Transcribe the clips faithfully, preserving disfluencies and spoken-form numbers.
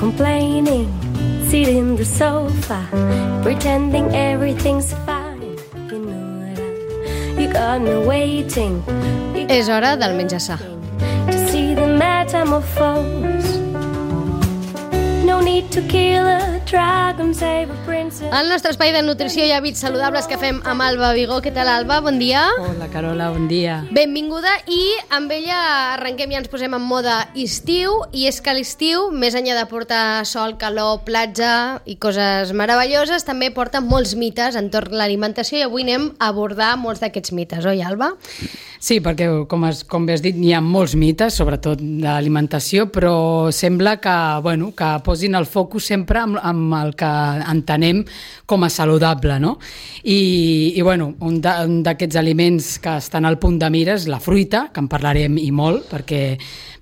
complaining, sitting in the sofa, pretending everything's fine. You know that you got me waiting. És hora del menjar sa. To see the metamorphose. No need to kill a dragon, save a princess. El nostre espai de nutrició i hàbits saludables que fem amb Alba Vigó. Què tal, Alba? Bon dia. Hola, Carola, bon dia. Benvinguda, i amb ella arrenquem i ens posem en moda estiu, i és que l'estiu, més enllà de portar sol, calor, platja i coses meravelloses, també porta molts mites entorn l'alimentació, i avui anem a abordar molts d'aquests mites, oi, Alba? Sí, perquè, com, has, com bé has dit, hi ha molts mites, sobretot d'alimentació, però sembla que, bueno, que posin el focus sempre amb, amb el que entenem com a saludable, no? I, i bueno, un d'aquests aliments que estan al punt de mira és la fruita, que en parlarem i molt, perquè,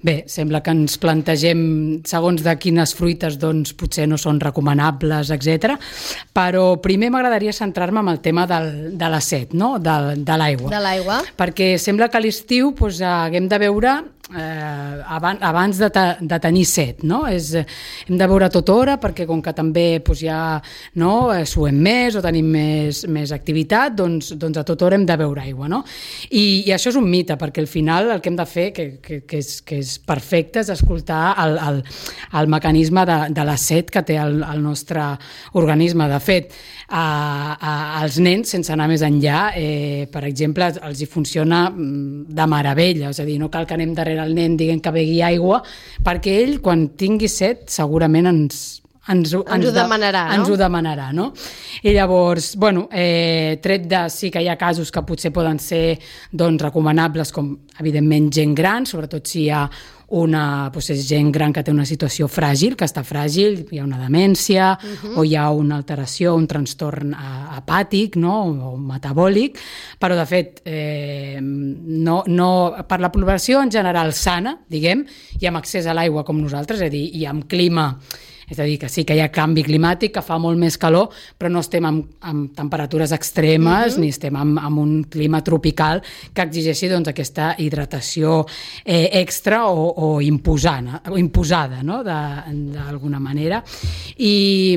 bé, sembla que ens plantegem segons de quines fruites doncs potser no són recomanables, etcètera. Però primer m'agradaria centrar-me en el tema del, de la set, no? de, de l'aigua. De l'aigua. Perquè sembla que a l'estiu doncs, haguem de beure eh, abans, abans de, te, de tenir set, no? És, hem de beure a tota hora perquè com que també doncs, ja no, suem més o tenim més, més activitat, doncs, doncs a tota hora hem de beure aigua, no? I, i això és un mite, perquè al final el que hem de fer, que, que, que, és, que és perfecte, és escoltar el, el, el mecanisme de, de la set que té el, el nostre organisme. De fet, a, a, als nens, sense anar més enllà, eh, per exemple, els hi funciona de meravella, és a dir, no cal que anem darrere el nen dient que begui aigua, perquè ell, quan tingui set, segurament ens... Ens, ens, ens ho demanarà, de, no? Ens ho demanarà, no? I llavors, bueno, eh, tret de sí que hi ha casos que potser poden ser doncs, recomanables, com evidentment gent gran, sobretot si hi ha una doncs, és gent gran que té una situació fràgil, que està fràgil, hi ha una demència, uh-huh. o hi ha una alteració, un trastorn hepàtic, no? O metabòlic, però de fet, eh, no, no, per la població en general sana, diguem, i amb accés a l'aigua com nosaltres, és a dir, i amb clima. És a dir, que sí que hi ha canvi climàtic, que fa molt més calor, però no estem amb, amb temperatures extremes, uh-huh. ni estem amb, amb un clima tropical que exigeixi doncs, aquesta hidratació eh, extra o, o imposana, o imposada, no? d'alguna manera. I,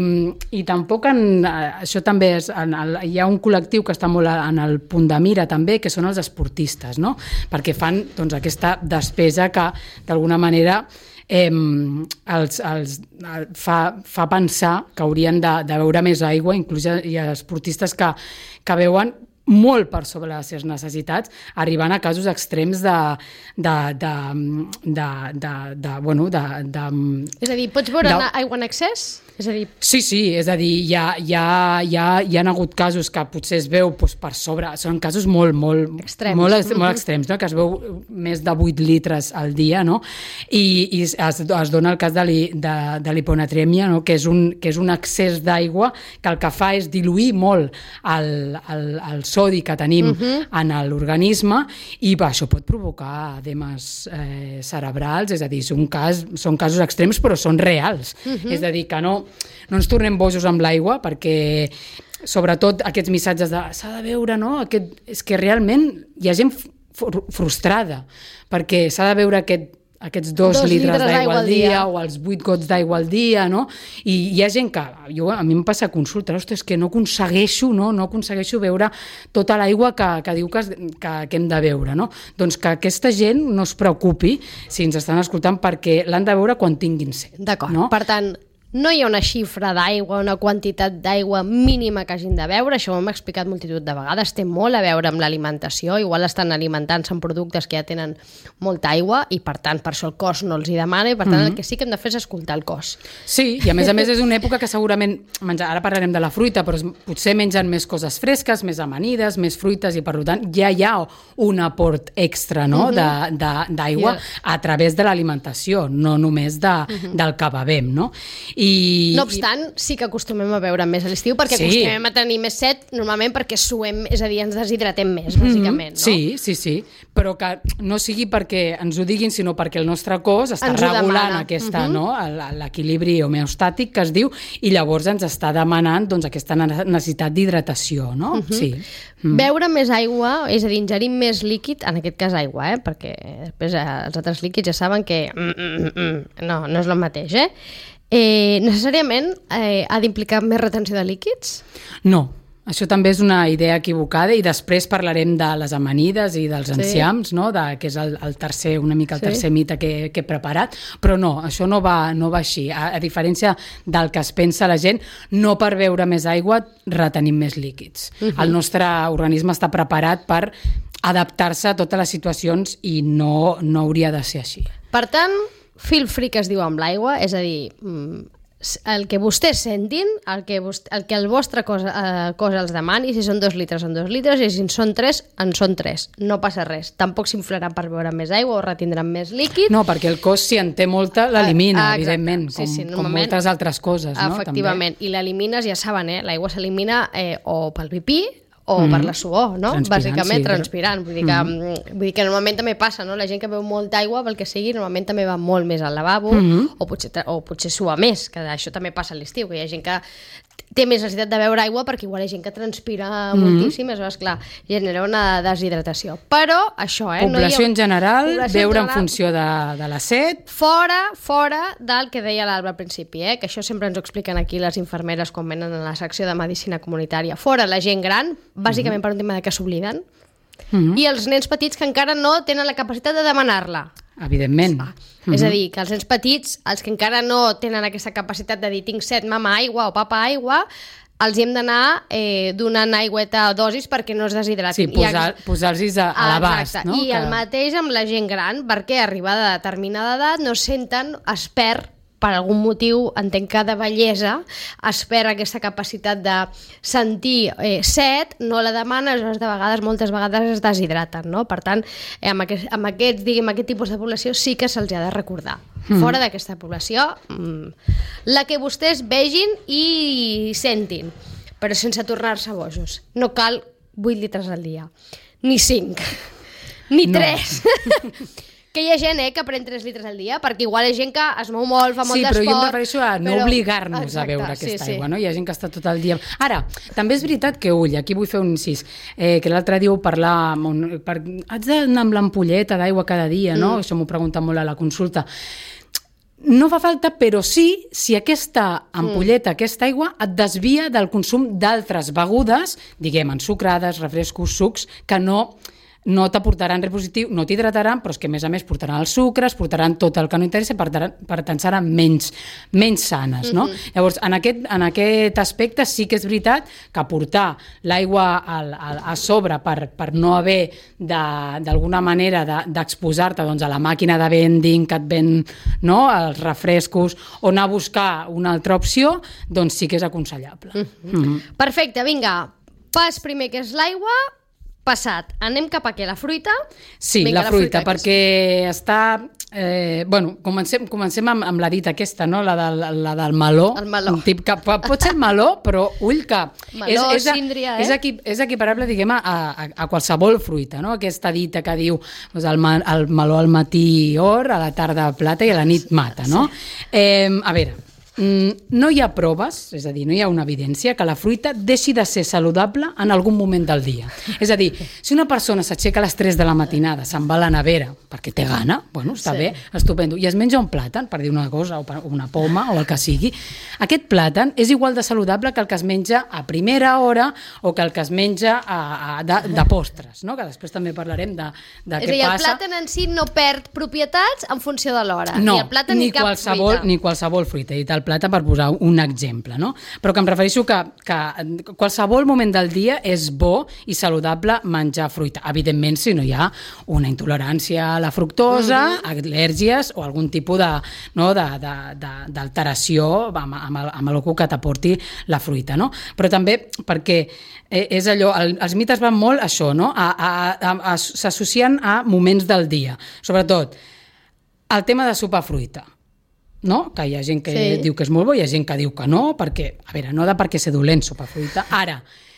i tampoc, en, això també és, en el, hi ha un col·lectiu que està molt en el punt de mira també, que són els esportistes, no? Perquè fan doncs, aquesta despesa que d'alguna manera Eh, els, els, fa, fa pensar que haurien de, de beure més aigua, inclús hi ha esportistes que, que beuen molt per sobre les seves necessitats, arribant a casos extrems de... de, de, de, de, de, bueno, de, de és a dir, pots beure de, aigua en excés? És a dir... Sí, sí, és a dir, hi ha, hi ha, hi ha, hi ha hagut casos que potser es veu doncs, per sobre, són casos molt, molt, extrems. molt, molt extrems, no? Que es veu més de vuit litres al dia, no? I, i es, es dona el cas de, li, de, de l'hiponatrèmia, no? que, és un, que és un excés d'aigua que el que fa és diluir molt el, el, el sodi que tenim uh-huh. en l'organisme, i va, això pot provocar edemes eh, cerebrals, és a dir, són, cas, són casos extrems però són reals, uh-huh. és a dir, que no, no ens tornem bojos amb l'aigua, perquè sobretot aquests missatges de s'ha de beure, no? Aquest, és que realment hi ha gent fr- frustrada, perquè s'ha de beure aquest aquests dos, dos litres, litres d'aigua al dia, dia o els vuit gots d'aigua al dia, no? I hi ha gent que, jo, a mi em passa a consulta, ostres, que no aconsegueixo, no, no aconsegueixo beure tota l'aigua que, que diu que, que, que hem de beure, no? Doncs que aquesta gent no es preocupi si ens estan escoltant, perquè l'han de beure quan tinguin set. D'acord, no? Per tant, no hi ha una xifra d'aigua, una quantitat d'aigua mínima que hagin de beure, això ho hem explicat multitud de vegades, té molt a veure amb l'alimentació, igual estan alimentant-se amb productes que ja tenen molta aigua i per tant per això el cos no els hi demana, i per tant mm-hmm. el que sí que hem de fer és escoltar el cos. Sí, i a més a més és una època que segurament, menjar, ara parlarem de la fruita, però potser mengen més coses fresques, més amanides, més fruites, i per tant ja hi ha un aport extra, no? mm-hmm. de, de, d'aigua yeah. a través de l'alimentació, no només de, mm-hmm. del que bevem, no? I, no obstant, sí que acostumem a beure més a l'estiu, perquè sí. acostumem a tenir més set, normalment perquè suem, és a dir, ens deshidratem més, bàsicament, no? Sí, sí, sí, però que no sigui perquè ens ho diguin, sinó perquè el nostre cos està ens regulant aquesta, uh-huh. no? l'equilibri homeostàtic que es diu, i llavors ens està demanant doncs, aquesta necessitat d'hidratació, no? Uh-huh. Sí. Mm. Beure més aigua, és a dir, ingerir més líquid, en aquest cas aigua, eh? Perquè després eh, els altres líquids ja saben que mm, mm, mm, no, no és el mateix, eh? Eh, necessàriament eh, ha d'implicar més retenció de líquids? No. Això també és una idea equivocada i després parlarem de les amanides i dels enciams, sí. no? de, que és el, el tercer, una mica el sí. tercer mite que, que he preparat, però no, això no va, no va així. A, a diferència del que es pensa la gent, no per beure més aigua retenim més líquids. Uh-huh. El nostre organisme està preparat per adaptar-se a totes les situacions i no, no hauria de ser així. Per tant, feel free que es diu amb l'aigua, és a dir... Mm, el que vostès sentin, el que, vostè, el, que el vostre cos, eh, cos els demani, si són dos litres, són dos litres, i si en són tres, en són tres. No passa res. Tampoc s'inflaran per beure més aigua o retindran més líquid. No, perquè el cos, si en té molta, l'elimina, ah, evidentment, sí, sí, com, com moltes altres coses. No? Efectivament, També. I l'elimines, ja saben, eh? L'aigua s'elimina eh, o pel pipí, o mm. per la suor, no? Transpirant, bàsicament sí, transpirant. Vull dir, que, mm. vull dir que normalment també passa, no? La gent que beu molta aigua, pel que sigui, normalment també va molt més al lavabo, mm. o, potser, o potser sua més, que això també passa a l'estiu, que hi ha gent que té més necessitat de beure aigua perquè igual hi ha gent que transpira mm. moltíssim, és clar, genera una deshidratació. Però això, eh? Població no ha... en general, Població beure en, en funció de, de la set. Fora, fora del que deia l'Alba al principi, eh? Que això sempre ens ho expliquen aquí les infermeres quan venen a la secció de medicina comunitària. Fora la gent gran, bàsicament mm. per un tema de que s'obliden, mm. i els nens petits que encara no tenen la capacitat de demanar-la. Evidentment. Ah, mm-hmm. És a dir, que els nens petits, els que encara no tenen aquesta capacitat de dir tinc set, mama, aigua, o papa, aigua, els hi hem d'anar eh, donant aigüeta a dosis perquè no es deshidratin. Sí, posar, I, posar-los a, a l'abast. No? I que... el mateix amb la gent gran, perquè arribada a determinada edat no senten, es perd per algun motiu, entenc que de bellesa, es perd aquesta capacitat de sentir eh, set, no la demana, aleshores de vegades, moltes vegades es deshidraten, no? Per tant, eh, amb, aquest, amb aquests, diguem, aquest tipus de població sí que se'ls ha de recordar. Mm. Fora d'aquesta població, mm, la que vostès vegin i sentin, però sense tornar-se bojos. No cal vuit litres al dia, ni cinc, ni no. tres. Que hi ha gent eh, que pren tres litres al dia, perquè igual hi ha gent que es mou molt, fa molt sí, d'esport... Sí, però jo em refereixo a no però... obligar-nos a beure aquesta sí, aigua, sí. no? Hi ha gent que està tot el dia... Ara, també és veritat que, ull, aquí vull fer un incís, eh, que l'altre dia ho parlar... Un, per, haig d'anar amb l'ampolleta d'aigua cada dia, no? Mm. Això m'ho pregunta molt a la consulta. No fa falta, però sí, si aquesta ampolleta, mm. aquesta aigua, et desvia del consum d'altres begudes, diguem, ensucrades, refrescos, sucs, que no... no t'aportaran res positiu, no t'hidrataran, però és que a més a més portaran els sucres, portaran tot el que no interessa, per, per tant seran menys, menys sanes, no? Mm-hmm. Llavors, en aquest, en aquest aspecte sí que és veritat que portar l'aigua al, al, a sobre per, per no haver d'alguna manera d'exposar-te doncs, a la màquina de vending que et ven, no? Els refrescos, o anar a buscar una altra opció, doncs sí que és aconsellable. Mm-hmm. Mm-hmm. Perfecte, vinga, pas primer que és l'aigua, passat. Anem cap a què? La fruita? Sí, Vinga, la fruita, la fruita perquè és... està... Eh, bueno, comencem, comencem amb, amb la dita aquesta, no? La del, la del meló. El meló. Un tip que pot ser meló, però ull que... Meló, és, és, síndria, eh? És, equi, és equiparable, diguem, a, a, a qualsevol fruita, no? Aquesta dita que diu doncs el, el meló al matí or, a la tarda plata i a la nit mata, no? Sí. Eh, a veure... No hi ha proves, és a dir, no hi ha una evidència que la fruita deixi de ser saludable en algun moment del dia. És a dir, si una persona s'aixeca a les tres de la matinada, se'n va a la nevera perquè té gana, bueno, està sí. bé, estupendo, i es menja un plàtan, per dir una cosa, o una poma, o el que sigui, aquest plàtan és igual de saludable que el que es menja a primera hora o que el que es menja a, a, de, de postres, no? Que després també parlarem de, de què dir, passa. El plàtan en si no perd propietats en funció de l'hora. No, ni el plàtan ni, ni cap qualsevol, fruita. Ni qualsevol fruita, i tal plata per posar un exemple, no? Però que em refereixo que, que qualsevol moment del dia és bo i saludable menjar fruita. Evidentment, si no hi ha una intolerància a la fructosa, mm-hmm. al·lèrgies o algun tipus de, no, de, de, de, d'alteració amb, amb, el, amb el que t'aporti la fruita, no? Però també perquè és allò, el, els mites van molt a això, no? A, a, a, a, s'associen a moments del dia. Sobretot, el tema de sopar fruita. No? Que hi ha gent que sí. diu que és molt bo, hi ha gent que diu que no, perquè, a veure, no de perquè ser dolent sopar fruita. Ara,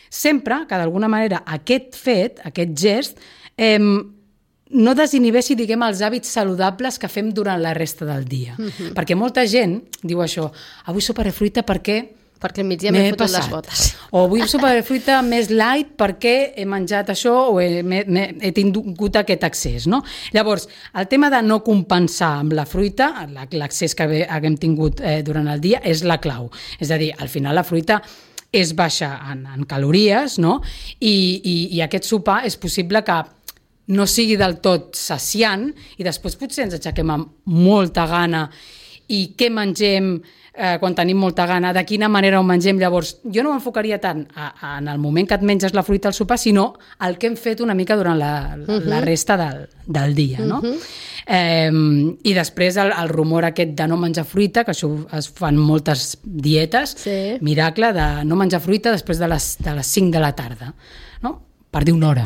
sempre que d'alguna manera aquest fet, aquest gest, eh, no desinhibeixi, diguem, els hàbits saludables que fem durant la resta del dia. Mm-hmm. Perquè molta gent diu això, avui soparé fruita perquè perquè al migdia m'he fotut les botes. O vull sopar de fruita més light perquè he menjat això o he, he, he tingut aquest accés, no? Llavors, el tema de no compensar amb la fruita, l'accés que haguem tingut eh, durant el dia, és la clau. És a dir, al final la fruita és baixa en, en calories, no? I, i, i aquest sopar és possible que no sigui del tot saciant i després potser ens aixequem amb molta gana i què mengem eh, quan tenim molta gana, de quina manera ho mengem. Llavors, jo no m'enfocaria tant a, a, en el moment que et menges la fruita al sopar, sinó el que hem fet una mica durant la, uh-huh. la resta del, del dia, no? Uh-huh. Eh, I després el, el rumor aquest de no menjar fruita, que això es fan moltes dietes, sí. Miracle de no menjar fruita després de les, de les cinc de la tarda, no? Per dir una hora.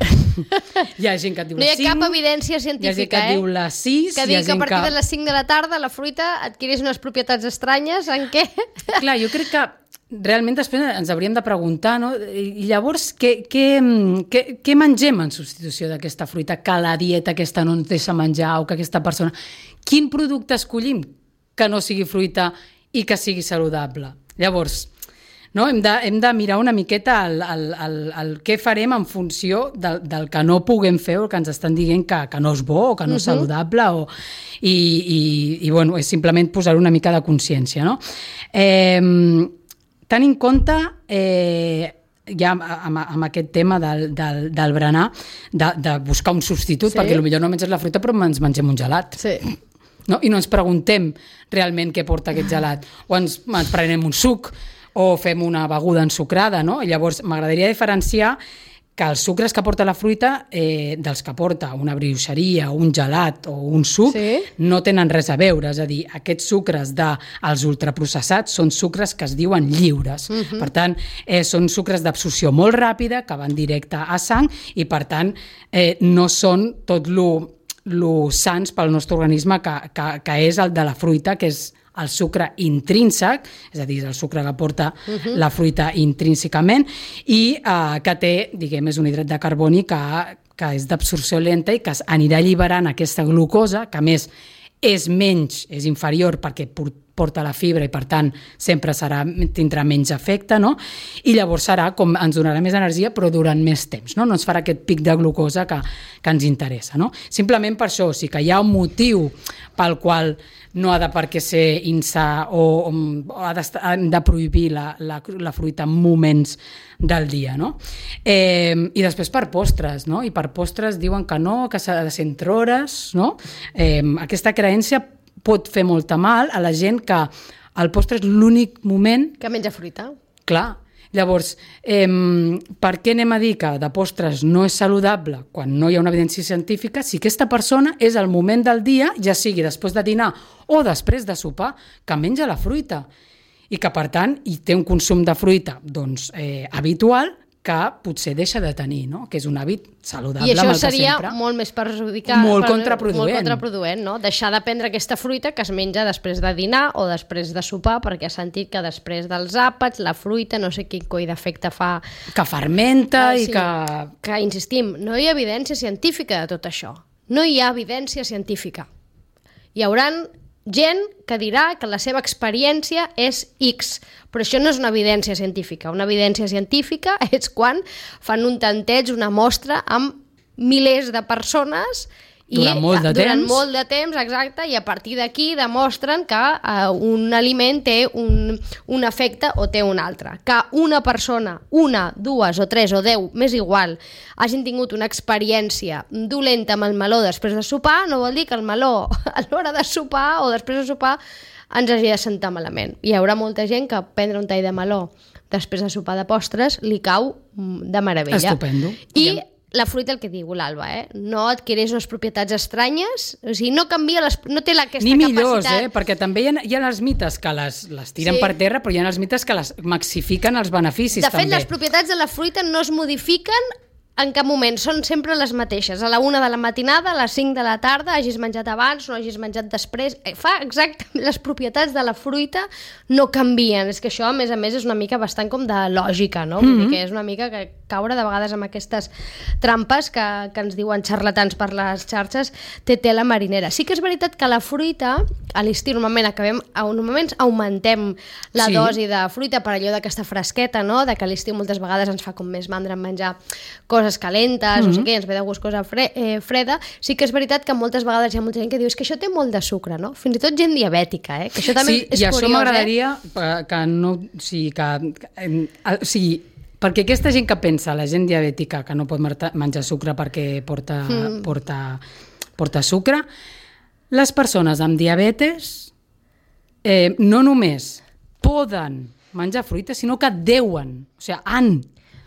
Hi ha gent que et diu les cinc. No hi ha cap evidència científica, hi ha gent que et eh? diu les sis. Que digui que a partir que... de les cinc de la tarda la fruita adquireix unes propietats estranyes en què... Clar, jo crec que realment després ens hauríem de preguntar, no? I llavors, què, què, què, què mengem en substitució d'aquesta fruita que la dieta aquesta no ens deixa menjar o que aquesta persona... Quin producte escollim que no sigui fruita i que sigui saludable? Llavors... No? Hem, de, hem de mirar una miqueta el, el, el, el què farem en funció del, del que no puguem fer o que ens estan dient que, que no és bo o que no és uh-huh. saludable o, i, i, i bueno, és simplement posar una mica de consciència, no? Eh, tenint en compte eh, ja amb, amb aquest tema del, del, del berenar de, de buscar un substitut, sí. Perquè potser no menges la fruita però ens mengem un gelat. Sí. No? I no ens preguntem realment què porta aquest gelat o ens, ens prenem un suc o fem una beguda ensucrada, no? I llavors m'agradaria diferenciar que els sucres que porta la fruita eh, dels que porta una brioixeria, un gelat o un suc, sí. No tenen res a veure. És a dir, aquests sucres dels ultraprocessats són sucres que es diuen lliures. Uh-huh. Per tant, eh, són sucres d'absorció molt ràpida que van directe a sang i, per tant, eh, no són tot lo, lo sans pel nostre organisme que, que, que és el de la fruita, que és el sucre intrínsec, és a dir, el sucre que porta uh-huh. la fruita intrínsecament i eh, que té, diguem, és un hidrat de carboni que, que és d'absorció lenta i que anirà alliberant aquesta glucosa, que a més és menys, és inferior perquè porta la fibra i per tant sempre serà, tindrà menys efecte, no? I llavors serà com ens donarà més energia però durant més temps, no? No ens farà aquest pic de glucosa que, que ens interessa, no? Simplement per això, o sigui que hi ha un motiu pel qual no ha de per què ser insà o, o ha de prohibir la, la, la fruita en moments del dia, no? Eh, I després per postres, no? I per postres diuen que no, que s'ha de ser entre hores, no? Eh, aquesta creença pot fer molta mal a la gent que el postre és l'únic moment... Que menja fruita. Clar. Llavors, eh, per què anem a dir que de postres no és saludable quan no hi ha una evidència científica si aquesta persona és el moment del dia, ja sigui després de dinar o després de sopar, que menja la fruita i que, per tant, hi té un consum de fruita doncs, eh, habitual que potser deixa de tenir, no? Que és un hàbit saludable. I això seria molt més perjudicant. Molt contraproduent. Molt contraproduent, no? Deixar de prendre aquesta fruita que es menja després de dinar o després de sopar, perquè ha sentit que després dels àpats, la fruita, no sé quin coi d'efecte fa... Que fermenta ah, sí, i que... Que, insistim, no hi ha evidència científica de tot això. No hi ha evidència científica. Hi hauran gent que dirà que la seva experiència és X, però això no és una evidència científica. Una evidència científica és quan fan un tanteig, una mostra amb milers de persones i durant molt de durant temps. molt de temps, exacte, i a partir d'aquí demostren que uh, un aliment té un, un efecte o té un altre. Que una persona, una, dues o tres o deu, m'és igual, hagin tingut una experiència dolenta amb el meló després de sopar, no vol dir que el meló a l'hora de sopar o després de sopar ens hagi de sentar malament. Hi haurà molta gent que prendre un tall de meló després de sopar de postres li cau de meravella. Estupendo. I la fruita, el que diu l'Alba, eh? No adquireix unes propietats estranyes, o sigui, no canvia, les, no té la, aquesta Ni millors, capacitat... eh? Perquè també hi ha, hi ha els mites que les, les tiren Sí. per terra, però hi ha els mites que les maxifiquen els beneficis, De fet, també. les propietats de la fruita no es modifiquen en cap moment, són sempre les mateixes. A la una de la matinada, a les cinc de la tarda, hagis menjat abans, no hagis menjat després. Fa exactament les propietats de la fruita no canvien. És que això, a més a més, és una mica bastant com de lògica, no? Vull dir que és una mica que caure de vegades amb aquestes trampes que, que ens diuen xarlatans per les xarxes, té tela marinera. Sí que és veritat que la fruita, a l'estiu normalment acabem, normalment augmentem la Sí. dosi de fruita per allò d'aquesta fresqueta, no? De que a l'estiu moltes vegades ens fa com més mandra en menjar coses calentes, mm-hmm. no sé què, ens ve de gust cosa fre eh, freda. Sí que és veritat que moltes vegades hi ha molta gent que diu és que això té molt de sucre, no? Fins i tot gent diabètica, eh? Que això també Sí, és i curiós, això m'agradaria eh? que no... O sigui, que, que, o sigui, perquè aquesta gent que pensa, la gent diabètica, que no pot menjar sucre perquè porta, mm. porta, porta sucre, les persones amb diabetes eh, no només poden menjar fruita, sinó que deuen, o sigui, han...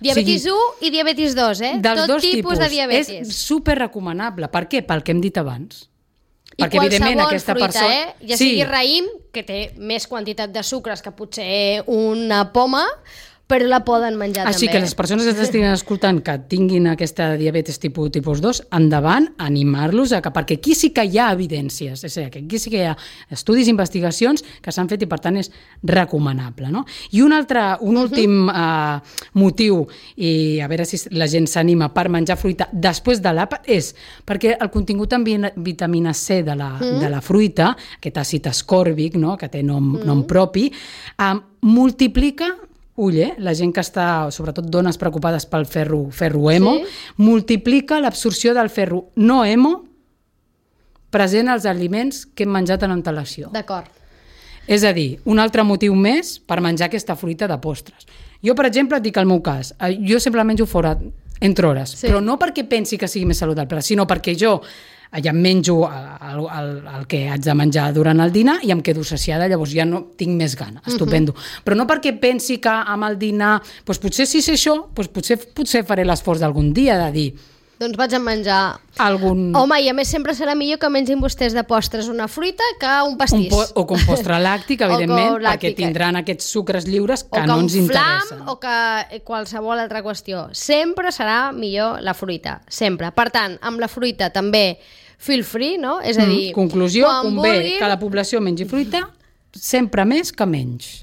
Diabetis u i diabetis dos, eh? Dels Tot dos tipus, tipus. de diabetis. És super recomanable. Per què? Pel que hem dit abans. I Perquè, evidentment, qualsevol aquesta fruita, persona... eh? Ja sigui raïm, que té més quantitat de sucres que potser una poma, però la poden menjar Així també. que les persones que estiguin escoltant que tinguin aquesta diabetes tipus, tipus dos, endavant, animar-los a que, perquè aquí sí que hi ha evidències, és a dir, que aquí sí que hi ha estudis i investigacions que s'han fet i per tant és recomanable. No? I un altre, un últim uh -huh. uh, motiu, i a veure si la gent s'anima per menjar fruita després de l'àpat, és perquè el contingut en vitamina C de la, uh -huh. de la fruita, aquest àcid ascòrbic, no? Que té nom, uh -huh. nom propi, uh, multiplica ull, eh? La gent que està, sobretot dones preocupades pel ferro, ferro hemo, sí. multiplica l'absorció del ferro no hemo present als aliments que hem menjat en antelació. D'acord. És a dir, un altre motiu més per menjar aquesta fruita de postres. Jo, per exemple, et dic el meu cas, jo sempre menjo fora entre hores, sí. però no perquè pensi que sigui més saludable, sinó perquè jo ja em menjo el, el, el que haig de menjar durant el dinar i em quedo saciada, llavors ja no tinc més gana, estupendo. Uh-huh. Però no perquè pensi que amb el dinar, doncs potser si sé això, doncs potser, potser faré l'esforç d'algun dia de dir... Doncs vaig a menjar... Algun... Home, i a més sempre serà millor que mengin vostès de postres una fruita que un pastís. Un po o com postre làctic, evidentment, perquè tindran aquests sucres lliures que no ens interessen. O que un flam, o que qualsevol altra qüestió. Sempre serà millor la fruita, sempre. Per tant, amb la fruita també feel free, no? És a dir... Mm, conclusió, convé vulguin, que la població mengi fruita sempre més que menys.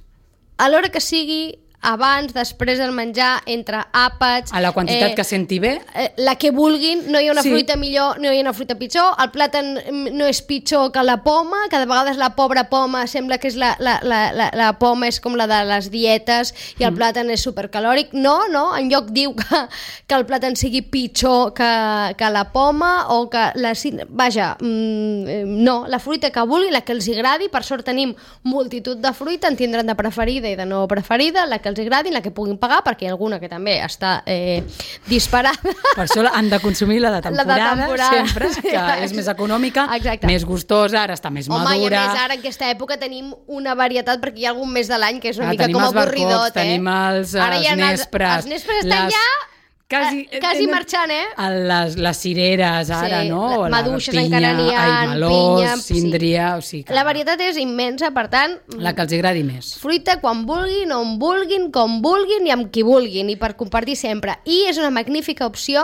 A l'hora que sigui, abans, després del menjar, entre àpats... A la quantitat eh, que senti bé. Eh, la que vulguin, no hi ha una Sí. fruita millor, no hi ha una fruita pitjor, el plàtan no és pitjor que la poma, que de vegades la pobra poma sembla que és la, la, la, la, la poma és com la de les dietes i el mm. plàtan és supercalòric. No, no, en lloc diu que, que el plàtan sigui pitjor que, que la poma o que la... Vaja, mm, no, la fruita que vulgui, la que els agradi, per sort tenim multitud de fruita, en tindran de preferida i de no preferida, la que els agradi, la que puguin pagar, perquè hi ha alguna que també està eh, disparada. Per això han de consumir la de temporada, la de temporada. sempre, que és més econòmica, Exacte. més gustosa, ara està més Home, madura. i a més ara en aquesta època tenim una varietat, perquè hi ha algun mes de l'any que és una Ah, mica tenim com els avorridot, barcots, eh? tenim els, Ara els hi ha nespres. Els, els nespres estan les... ja... Quasi, Eh, quasi marxant, eh? Les, les cireres, ara, Sí, no? la- maduixes la pinya, encara n'hi ha, ai, melós, pinya, sí. síndria... O sigui que La varietat és immensa, per tant... la que els agradi més. Fruita quan vulguin, on vulguin, com vulguin i amb qui vulguin, i per compartir sempre. I és una magnífica opció,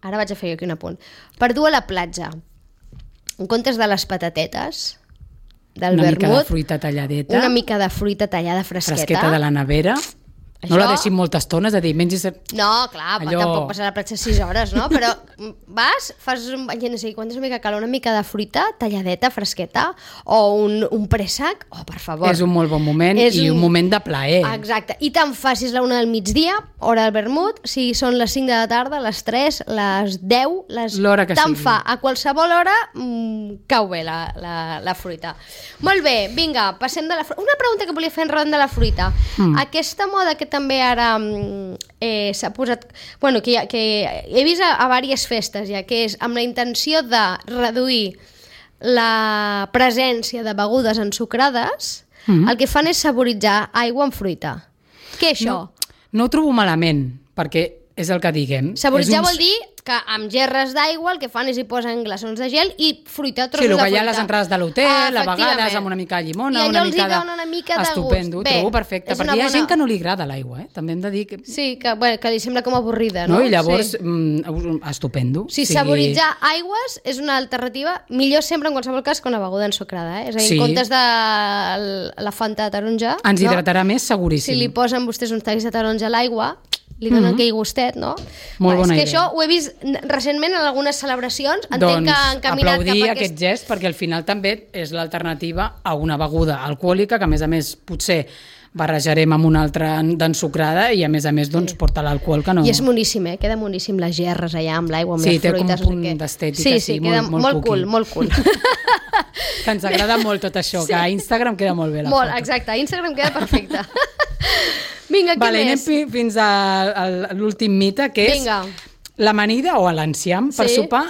ara vaig a fer aquí un apunt, per dur a la platja. En comptes de les patatetes, del Una vermut, mica de fruita talladeta, una mica de fruita tallada fresqueta. fresqueta de la nevera. No Això- la deixin molta estona, és a dir, mengis... No, clar, Allò- tampoc passar a la platja sis hores, no? Però vas, fas un bany, no sé quan és una mica calor, una mica de fruita talladeta, fresqueta, o un, un préssec, oh, per favor. És un molt bon moment És i un... un moment de plaer. Exacte, i tant facis la una del migdia, hora del vermut, si són les cinc de la tarda, les tres, les deu, les... L'hora que tant sigui. fa, a qualsevol hora mmm, cau bé la, la, la fruita. Molt bé, vinga, passem de la fruita. Una pregunta que volia fer enrere de la fruita. Mm. Aquesta moda que també ara eh, s'ha posat... Bueno, que, ha, que he vist a, a diverses festes ja, que és amb la intenció de reduir la presència de begudes ensucrades, mm. el que fan és saboritzar aigua amb fruita. Què és això? No, no ho trobo malament, perquè és el que diguem. Saboritzar és un... vol dir que amb gerres d'aigua el que fan és hi posen glaçons de gel i fruita, trossos sí, de fruita. Sí, el que hi ha a les entrades de l'hotel, a vegades amb una mica de llimona, una mica de... una mica de Estupendo, gust. Bé, trobo perfecte, perquè hi ha bona... gent que no li agrada l'aigua, eh? També hem de dir que... Sí, que, bueno, que li sembla com avorrida, no? no? I llavors, sí. mm, estupendo. Sí, sigui... saboritzar aigües és una alternativa, millor sempre en qualsevol cas que una beguda ensucrada, eh? És a dir, sí. en comptes de la Fanta de taronja... Ens hidratarà no? més, seguríssim. Si li posen vostès uns talls de taronja a l'aigua, li donen mm-hmm. aquell gustet, no? Molt bona és que idea. això ho he vist recentment en algunes celebracions, entenc doncs, que han caminat cap a aplaudir aquest... aquest gest, perquè al final també és l'alternativa a una beguda alcohòlica, que a més a més potser barrejarem amb una altra d'ensucrada i a més a més doncs, sí. porta l'alcohol que no... I és moníssim, eh? Queda moníssim les gerres allà amb l'aigua, amb sí, les fruites. Sí, té com un punt d'estètica, sí, sí, sí, queda molt, molt, molt cool, molt cool. Que ens agrada molt tot això, sí. que a Instagram queda molt bé la molt, foto. Exacte, a Instagram queda perfecte. Vinga, què vale, més? Anem fins a, a l'últim mite, que és Vinga. l'amanida o l'enciam per sí. sopar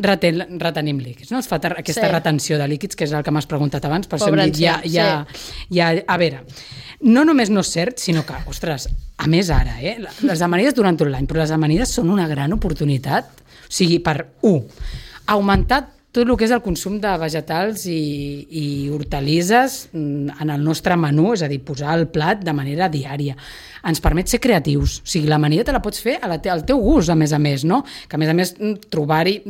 reten, retenim líquids. No? Es fa aquesta sí. retenció de líquids, que és el que m'has preguntat abans, per Pobre això hem dit, ja, ja, sí. ja, a veure, no només no és cert, sinó que, ostres, a més ara, eh, les amanides durant tot l'any, però les amanides són una gran oportunitat, o sigui, per, un, augmentar tot el que és el consum de vegetals i, i hortalisses en el nostre menú, és a dir, posar al plat de manera diària. Ens permet ser creatius, o sigui, l'amanida te la pots fer a la te al teu gust, a més a més, no? Que a més a més trobar-hi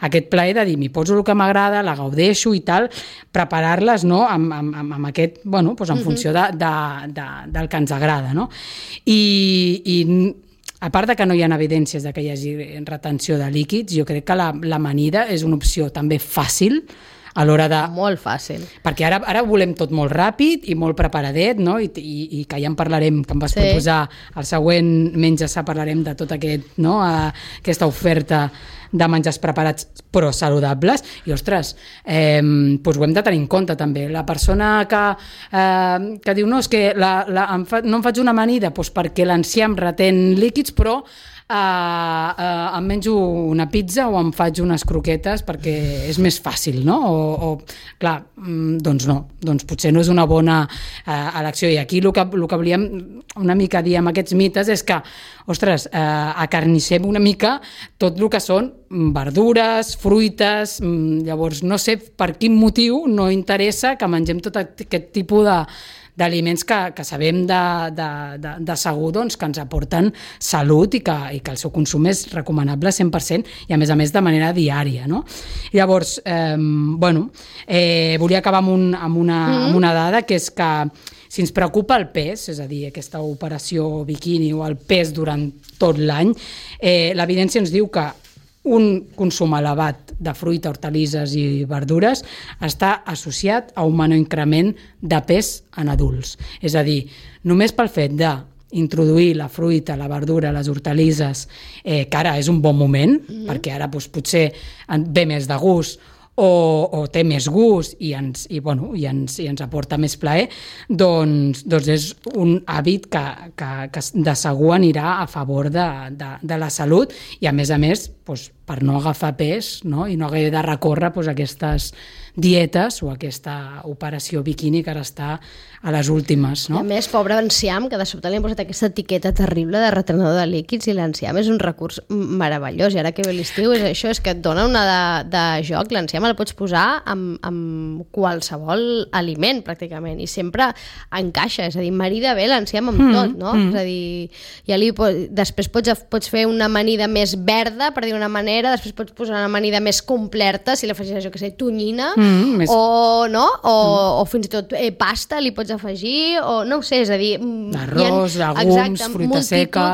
aquest plaer de dir, m'hi poso el que m'agrada, la gaudeixo i tal, preparar-les, no?, amb, amb, amb aquest, bueno, doncs en funció de, de, de, del que ens agrada, no? I, i a part de que no hi ha evidències de que hi hagi retenció de líquids, jo crec que l'amanida és una opció també fàcil a l'hora de... Molt fàcil. Perquè ara, ara volem tot molt ràpid i molt preparadet, no? I, i, i que ja en parlarem, que em vas sí. proposar el següent Menja-sa, parlarem de tot aquest, no? Aquesta oferta de menjars preparats però saludables, i ostres, eh, doncs ho hem de tenir en compte també. La persona que, eh, que diu no, és que la, la, em fa, no em faig una amanida doncs perquè l'enciam retén líquids, però Uh, uh, em menjo una pizza o em faig unes croquetes perquè és més fàcil, no? O, o clar, doncs no, doncs potser no és una bona uh, elecció, i aquí el que, el que volíem una mica dir amb aquests mites és que, ostres, uh, acarnissem una mica tot el que són verdures, fruites, llavors no sé per quin motiu no interessa que mengem tot aquest tipus de d'aliments que, que sabem de, de, de, de segur doncs, que ens aporten salut i que, i que el seu consum és recomanable cent per cent i a més a més de manera diària, no? Llavors, eh, bueno, eh, volia acabar amb, un, amb, una, mm-hmm. amb una dada, que és que si ens preocupa el pes, és a dir, aquesta operació biquini o el pes durant tot l'any, eh, l'evidència ens diu que un consum elevat de fruita, hortalisses i verdures està associat a un menor increment de pes en adults. És a dir, només pel fet d'introduir la fruita, la verdura, les hortalisses, eh, que ara és un bon moment, mm-hmm. perquè ara doncs, potser ve més de gust, o, o té més gust i ens, i, bueno, i ens, i ens aporta més plaer, doncs, doncs és un hàbit que, que, que de segur anirà a favor de, de, de la salut i a més a més doncs, per no agafar pes, no? I no haver de recórrer doncs, aquestes dietes o aquesta operació biquini que ara està a les últimes, no? I a més, pobre enciam, que de sobte li han posat aquesta etiqueta terrible de retenedor de líquids, i l'enciam és un recurs meravellós, i ara que ve l'estiu és això, és que et dona una de, de joc. L'enciam el pots posar amb, amb qualsevol aliment, pràcticament, i sempre encaixa, és a dir, marida bé l'enciam amb mm, tot, no? Mm. És a dir, ja li, després pots, pots fer una amanida més verda, per dir una manera, després pots posar una amanida més completa, si l'afegeixes, jo que sé, tonyina, mm, més... o, no? o, mm. o fins i tot eh, pasta li pots afegir, o no ho sé, és a dir... Arròs, llegums, fruita seca...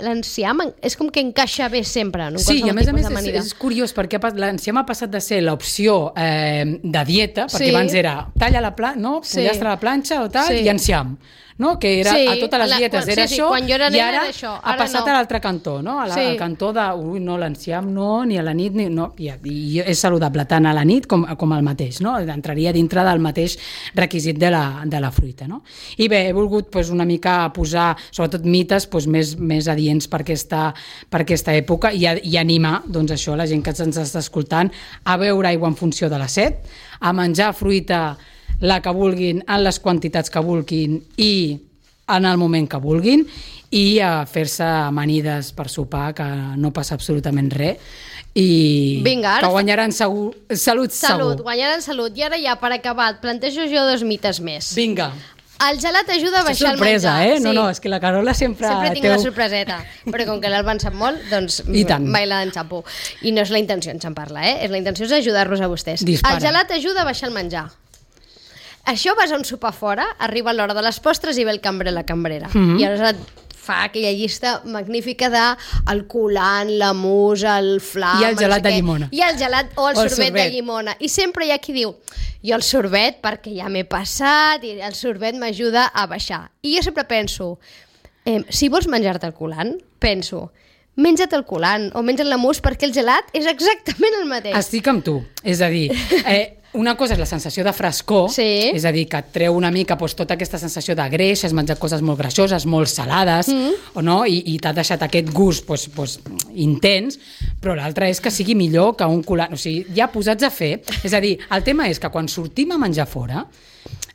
L'enciam és com que encaixa bé sempre en un sí, qualsevol i a més a tipus més d'amanida. És, és curiós perquè l'enciam ha passat de ser l'opció eh, de dieta, perquè sí. abans era talla la planxa, no? Sí. Pollastre a la planxa o tal, sí. i enciam. No? Que era, sí, a totes les dietes la, era sí, sí, això, quan jo era i ara, era això, ara ha passat no. a l'altre cantó, no? A la, sí. al cantó de, ui, no, l'enciam no, ni a la nit, ni, no, i, i és saludable tant a la nit com, com al mateix, no? Entraria dintre del mateix requisit de la, de la fruita, no? I bé, he volgut pues, una mica posar, sobretot mites, pues, més, més adients per aquesta, per aquesta època i, i animar, doncs això, la gent que ens està escoltant, a beure aigua en funció de la set, a menjar fruita la que vulguin, en les quantitats que vulguin i en el moment que vulguin i a fer-se amanides per sopar, que no passa absolutament res, i Vinga, que guanyaran segur, salut, Salut, segur. guanyaran salut. I ara ja, per acabar, et plantejo jo dos mites més. Vinga. El gelat ajuda a És baixar sorpresa, el menjar. eh? No, no, és que la Carola sempre... Sempre tinc té... una sorpreseta, però com que l'Alba en sap molt, doncs I tant. mai la enxapo. I no és la intenció enxampar-la, eh? La intenció és ajudar-los a vostès. Dispara. El gelat ajuda a baixar el menjar. Això vas a un sopar fora, arriba l'hora de les postres i ve el cambrer la cambrera. Mhm. I aleshores et fa aquella llista magnífica de el colant, la mousse, el flam... I el gelat no sé de què, llimona. I el gelat o el, O el sorbet, sorbet. de llimona. I sempre hi ha qui diu, jo el sorbet perquè ja m'he passat i el sorbet m'ajuda a baixar. I jo sempre penso, eh, si vols menjar-te el colant, penso, menja't el colant o menja't la mousse perquè el gelat és exactament el mateix. Estic amb tu. És a dir, eh, una cosa és la sensació de frescor, Sí. és a dir, que et treu una mica doncs, tota aquesta sensació de greix, has menjat coses molt greixoses, molt salades, mm. o no? I, i t'ha deixat aquest gust doncs, doncs, intens, però l'altre és que sigui millor que un colant. O sigui, ja posats a fer... És a dir, el tema és que quan sortim a menjar fora,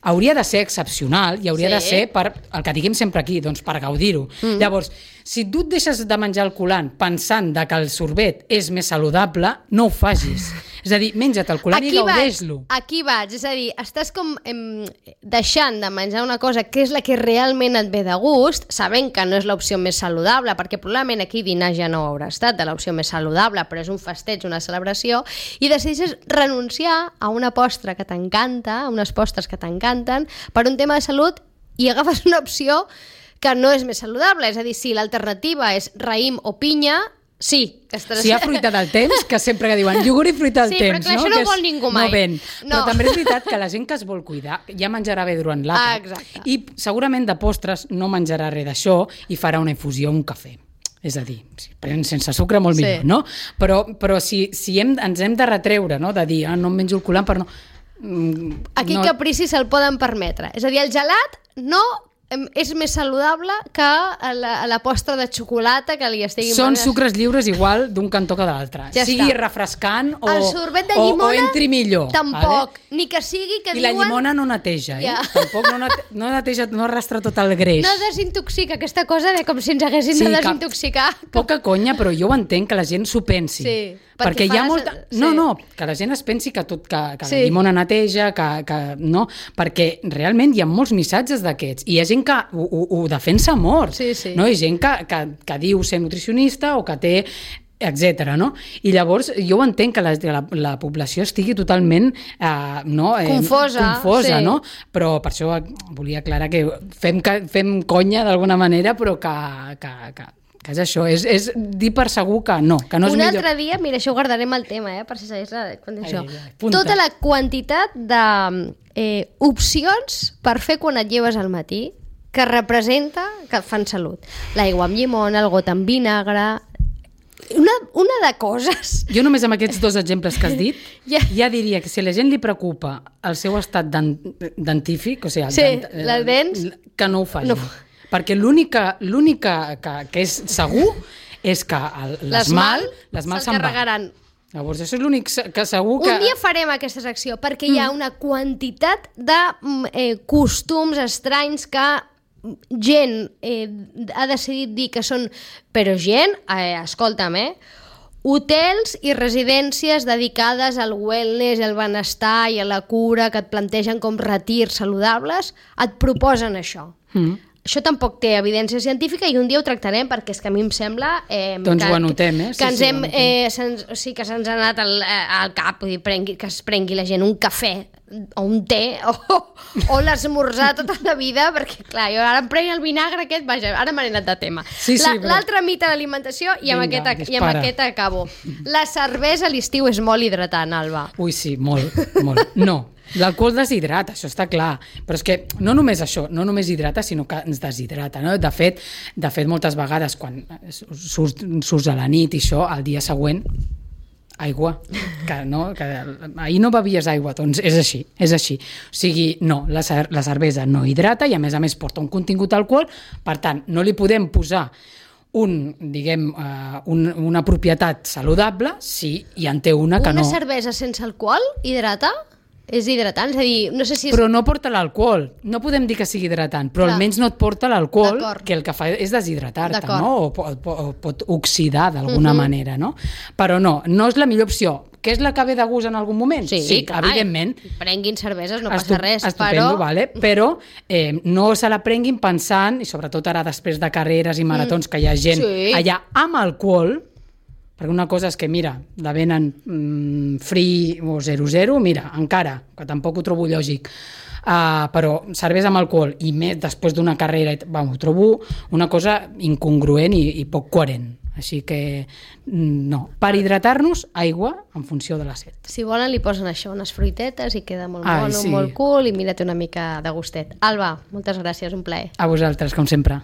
hauria de ser excepcional i hauria Sí. de ser per, el que diguem sempre aquí, doncs per gaudir-ho. Mm. Llavors, si tu et deixes de menjar el colant pensant de que el sorbet és més saludable, no ho facis. És a dir, menja't el colant i gaudeix-lo. Aquí vaig, és a dir, estàs com em, deixant de menjar una cosa que és la que realment et ve de gust, sabent que no és l'opció més saludable, perquè probablement aquí dinar ja no haurà estat de l'opció més saludable, però és un festeig, una celebració, i decideixes renunciar a una postre que t'encanta, a unes postres que t'encanten, per un tema de salut, i agafes una opció que no és més saludable. És a dir, si l'alternativa és raïm o pinya, sí. Estaràs... Si hi ha fruita del temps, que sempre que diuen iogurt i fruita del Sí, però temps, clar, no? això no Que és- vol ningú mai. No ven. No. Però també és veritat que la gent que es vol cuidar ja menjarà bé durant Ah, l'àpat. exacte. I segurament de postres no menjarà res d'això i farà una infusió, un cafè. És a dir, si pren sense sucre molt Sí. millor, no? Però, però si, si hem, ens hem de retreure, no? De dir, ah, no em menjo el colant per no... Mm, Aquí no... capricis se'l poden permetre. És a dir, el gelat no em, és més saludable que la, la postre de xocolata que li estiguin... Són posant- sucres lliures igual d'un cantó que de l'altre. Ja sigui està. refrescant o, El sorbet de o, llimona o entri millor. tampoc. Vale? Ni que sigui que I diuen... la llimona no neteja, eh? Ja. Tampoc no, nete no neteja, no arrastra tot el greix. No desintoxica, aquesta cosa de com si ens haguessin Sí, de que- desintoxicar. Poca conya, però jo ho entenc que la gent s'ho pensi. Sí, perquè perquè hi ha fa la molta... sen- No, sí. no, que la gent es pensi que, tot, que, que Sí. la llimona neteja, que, que... No, perquè realment hi ha molts missatges d'aquests. I hi ha gent que ho, ho, ho defensa molt. Sí, sí. No? Hi ha gent que, que, que diu ser nutricionista o que té etcètera, no? I llavors jo ho entenc que la, la, la població estigui totalment eh, no, eh, Confosa, confosa sí. no? Però per això volia aclarar que fem, fem conya d'alguna manera, però que, que, que, que és això, és, és dir per segur que no, que no és Un millor. altre dia, mira, això ho guardarem el tema, eh, per si segueix la... Quan això. Ai, ai, apunta. Tota la quantitat de eh, opcions per fer quan et lleves al matí que representa que fan salut. L'aigua amb llimona, el got amb vinagre... Una, una de coses... Jo només amb aquests dos exemples que has dit Ja. ja diria que si a la gent li preocupa el seu estat dent, dentífic, o sigui, el Sí, dent- eh, les dents, que no ho faci. no. Perquè l'única l'única que, que és segur és que el- l'esmal l'esmal se'l se'n va. carregaran. Llavors, això és l'únic se- que segur que... Un dia farem aquesta secció perquè hi ha una quantitat de mm, eh, costums estranys que gent eh, ha decidit dir que són... Però gent, eh, escolta'm, eh? Hotels i residències dedicades al wellness, al benestar i a la cura que et plantegen com retirs saludables, et proposen això. Mm. Això tampoc té evidència científica i un dia ho tractarem perquè és que a mi em sembla... Eh, Doncs que, ho anotem, eh? Sí, Que ens sí, ho hem, anotem. eh, se'ns, o sigui, que se'ns ha anat al, eh, al cap, vull dir, prengui, que es prengui la gent un cafè o un té o, o l'esmorzar tota la vida, perquè clar, jo ara em prenc el vinagre aquest, vaja, ara m'he anat de tema. Sí, sí, La- però- L'altre mite de l'alimentació i, amb Vinga, aquest, ac- i amb dispara. aquest acabo. La cervesa a l'estiu és molt hidratant, Alba. Ui, sí, molt, molt. No, l'alcohol deshidrata, això està clar. Però és que no només això, no només hidrata, sinó que ens deshidrata. No? De fet, de fet, moltes vegades, quan surts, surts a la nit i això, al dia següent, aigua, que, no, que ahir no bevies aigua, doncs és així, és així. O sigui, no, la, cer la cervesa no hidrata i a més a més porta un contingut d'alcohol, per tant, no li podem posar un, diguem, uh, un, una propietat saludable si hi en té una que Una no... cervesa sense alcohol hidrata? És hidratant, és a dir, no sé si és... Però no porta l'alcohol. No podem dir que sigui hidratant, però Clar. almenys no et porta l'alcohol, D'acord. que el que fa és deshidratar-te, D'acord. no? O pot, pot, pot oxidar d'alguna Mhm. manera, no? Però no, no és la millor opció. Que és la que ve de gust en algun moment? Sí, sí clar, evidentment. Prenguin cerveses, no Estu- passa res, estupendo, però... vale? Però eh, no se la prenguin pensant, i sobretot ara després de carreres i maratons, que hi ha gent Sí. allà amb alcohol, perquè una cosa és que, mira, la venen mm, free o zero zero, mira, encara, que tampoc ho trobo lògic, uh, però cervesa amb alcohol i més després d'una carrera, vam, ho trobo una cosa incongruent i, i poc coherent. Així que, mm, no. Per hidratar-nos, aigua en funció de la set. Si volen li posen això, unes fruitetes i queda molt Ai, mono, sí. molt cool i mira't una mica de gustet. Alba, moltes gràcies, un plaer. A vosaltres, com sempre.